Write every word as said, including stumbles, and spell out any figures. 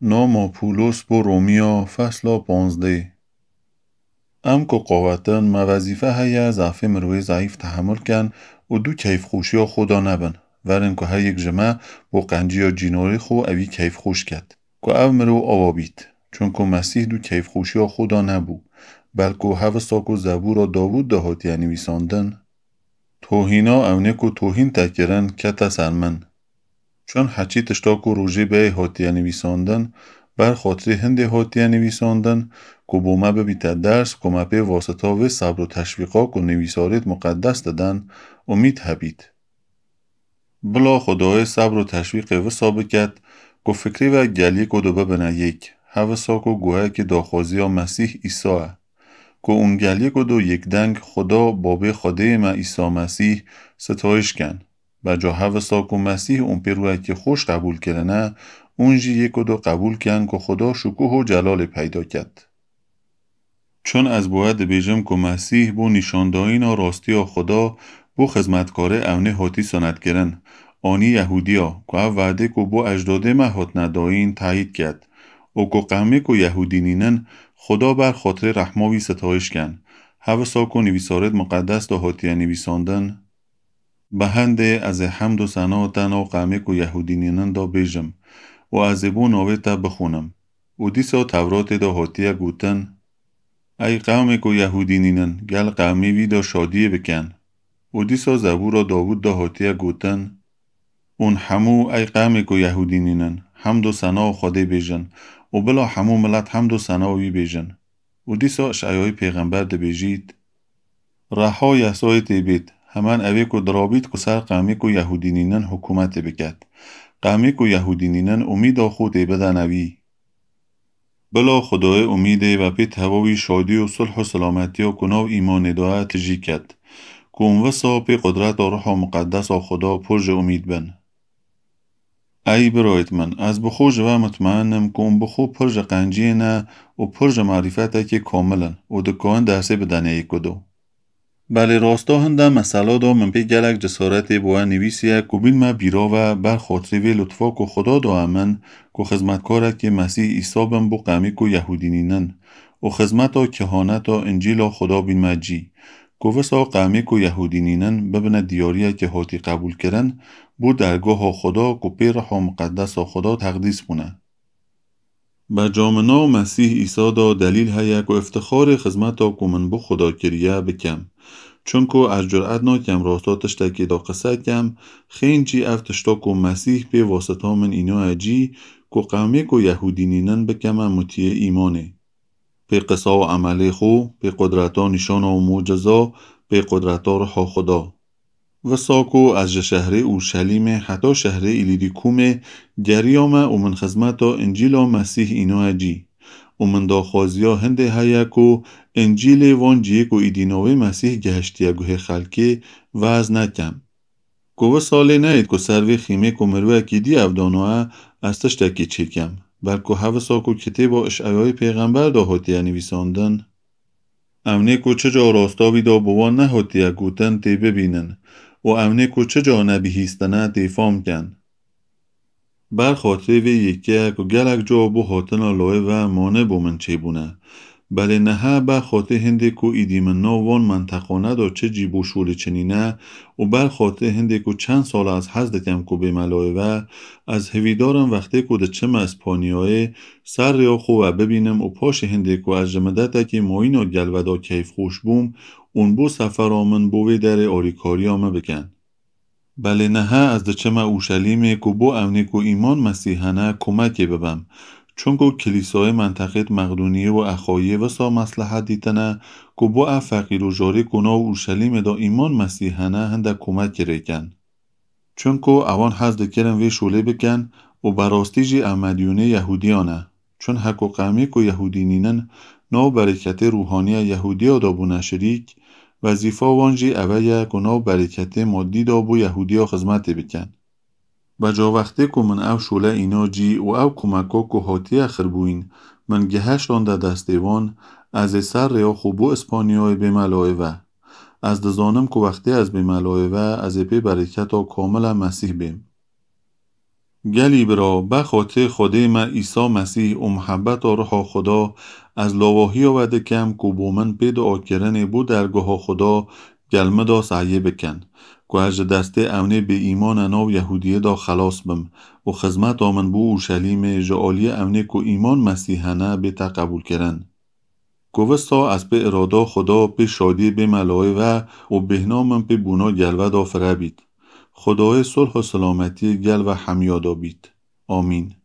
نامٚ پولس بو رومیا، فصلٚ پانزده. امکو قاوتن، مه وظیفه هیه ضعفٚ مروی ضعیف تحمل کن و دو کیفخوشیا خودا نبن، ورن کو هر یک جٚه مه بو قنجیا جیناری خو اوی کیفخوش کد، کو او مرو آوا بید. چونکو مسیح دو کیفخوشیا خودا نبو، بلکو هوسا کو زبورا داوود ده هاتیه نیویساندن: توهینا اونی کو توهین تکرن کته سر من. چون هچی تشتا کو روژه به هاتیه نیویساندن، بر خاطری هنده هاتیه نیویساندن، کو بو مه ببیته درس، کو مه پی واسطا وی صبر و تشویقا کو نیویساریت مقدس ددن، امید هبید. بلا خودای صبر و تشویق وسا بکد، کو فکری و گلیه کو دو ببنه یک، هوسا کو گوهه کی داخوازیا مسیح عیسایه. کو اون گلیه کو دو یک دنگ خودا بابه خودی مه عیسی مسیح ستایش کن. بجا هوسا کو مسیح اون پی رویه کی خوش قبول کرنه، اون جی یک و دو قبول کن کو خودا شکوه و جلال پیدا کد. چون از بوه دبیجم کو مسیح بو نیشاندایینا راستیا خودا بو خدمتکاری اونی هاتی سند کرن، آنی یهودیا، کو او وعده کو بو اجدادی مه هاتنه دایین تأیید کد، و کو قومی کو یهودی نینن خودا بر خاطر رحما وی ستایش کن، هوسا کو نیویساریت مقدس دا هاتیه نیویساندن. به هنده از حمد و ثنا تنها قومی کو یهودی نینن دا بیجم و از بو ناوی ته بخونم. و دیسا تورات دا هاتیه گوتن: ای قومی کو یهودی نینن، گل قومی وی دا شادی بکن. و دیسا زبورا داوود دا هاتیه گوتن: اون همو، ای قومی کو یهودی نینن، حمد و ثنا خودی بیجن، و بلا همو ملت حمد و ثنا وی بیجن. و دیسا اشعیای پیغمبر دبیجید: رها یسای تی بید، همن اوی کو درابید کو سر قومی کو یهودی نینن حکومت بکد. قومی کو یهودی نینن امیدا خو تی بدن اوی. بلا خودای امیدی و پی تهواوی شادی و صلح و سلامتیا کو ناو ایمانی دایه تجی کد. کو اون وسا پی قدرتا روحا مقدسا خودا پر جٚه امید بن. ای برایت من، از بخو جٚه وه مطمئنم کو اون بخو پر جٚه قنجی‌نه و پر جٚه معرفته کی کاملن و دکاین درسی بدنه ایکودو. بلی راستا هنده مثلا دا من پی گلک جسارتی بوه نیویسیه کو بین مه بیرا و بر خاطری وی لطفا کو خودا دا امن کو خدمتکاره کی مسیح عیسی بم بو قومی کو یهودی نینن و خدمتا کهانتا انجیلا خودا بین مه جی. کو وسا قومی کو یهودی نینن ببنه دیاریه کی هاتی قبول کرن بو درگاها خودا کو پی روحا مقدسا خودا تقدیس بونه. بجا می ناو مسیح عیسی دا دلیل هیه کو افتخاری خدمتا کو من بو خودا کریه بکم. چونکو از جرأت ناکم راستا تشتکی دا قصه کم، خین جی اف تشتا کو مسیح پی واسطا من اینایه جی کو قومی کو یهودی نینن بکمه مطیع ایمانی. پی قصه و عملی خو، پی قدرتا نیشانا و معجزا، پی قدرتا روحا خودا. وسا کو از جٚه شهری اورشلیمی حتی شهری ایلیریکومی گریامه و من خدمتا انجیلا مسیح اینایه جی. و من داخوازیا هنده هیه کو انجیلی وان جیی کو ایدی ناوی مسیح گهشتیه گوهی خلکی وعظ نکم. کو وسالی نهید کو سر وی خیمی کو مروه کی دی اودانوه از تشتکی چیکم، بلکو هوسا کو کتیبا اشعیای پیغمبر دا هاتیه نیویساندن: اونی کو چه جا راستا ویدا بوان نهاتیه گوتن تی ببینن و اونی کو چه جا نبیهیستنه تی فام کن. بر خاطری وی یکه کو گلک جا بو هاتنا لایه و مانع بو من چی بونه. بلی نهه بر خاطری هنده کو ایدی من ناو وان منطقانه دا چه جی بو شولی چنینه و بر خاطری هنده کو چند سال از حض دکم کو بیمه لایه و از هویدارم وختی کو دچمه اسپانیایی سر ریا خو و ببینم و پاشی هنده کو از جٚه مدتکی مایینا گل ودا کیفخوش بوم، اون بو سفرا من بو وی دری آریکاریا می بکن. بلی نهه از دچمه اورشلیمی کو بو اونی کو ایمان مسیحنه کومکی ببم. چونکو کلیسای منطقه‌ت مقدونیه و اخایه وسا مصلحت دیتنه کو بو ا فقیر و جاری کو ناو اورشلیمی دا ایمان مسیحنه هنده کومکی ریکن. چونکو اوان حض دکرن وی شولی بکن و براستی جی ا مدیونی یهودیانه. چون هکو قومی کو یهودی نینن ناو برکتی روحانیه یهودیا دا بونه شریک، وظیفا وان جی اویه کو ناو برکتی مادی دا بو یهودیا خدمتی بکن. بجا وختی کو من او شوله اینا جی و او کومکا کو هاتیه خیر بوین من گهشتانده دستی وان، از سر ریا خو بو اسپانیایی بیمه لایه و. از دزانم کو وختی از بیمه لایه و از پی برکتا کامله مسیح بیم. گلی برأ، بخاطرٚ خودٚ مه عیسی مسیح و محبتٚ روحٚ خودا، از لاواهی‌یأ وأ دکم کو بومن پئ دوعا کرنٚ بو درگاهٚ خودا گل مداس اهیه بکن، کو از ژه دستٚ اونٚ بی ایمأنٚ ناو یهودیه‌دا خلاص بم و خزمتٚ من بو اورشلیمٚ ژه آلیه اونٚ کو ایمأن مسیحٚ هنه بیته قبول کرن. کو وستا از پئ ارادا خودا پئ شادیه بیمه لایه وأ و بیهنامم پئ بونا گل وأدا فره بید. خودایٚ صلح و سلامتیه گل وأ همه‌یأدا بید. آمین.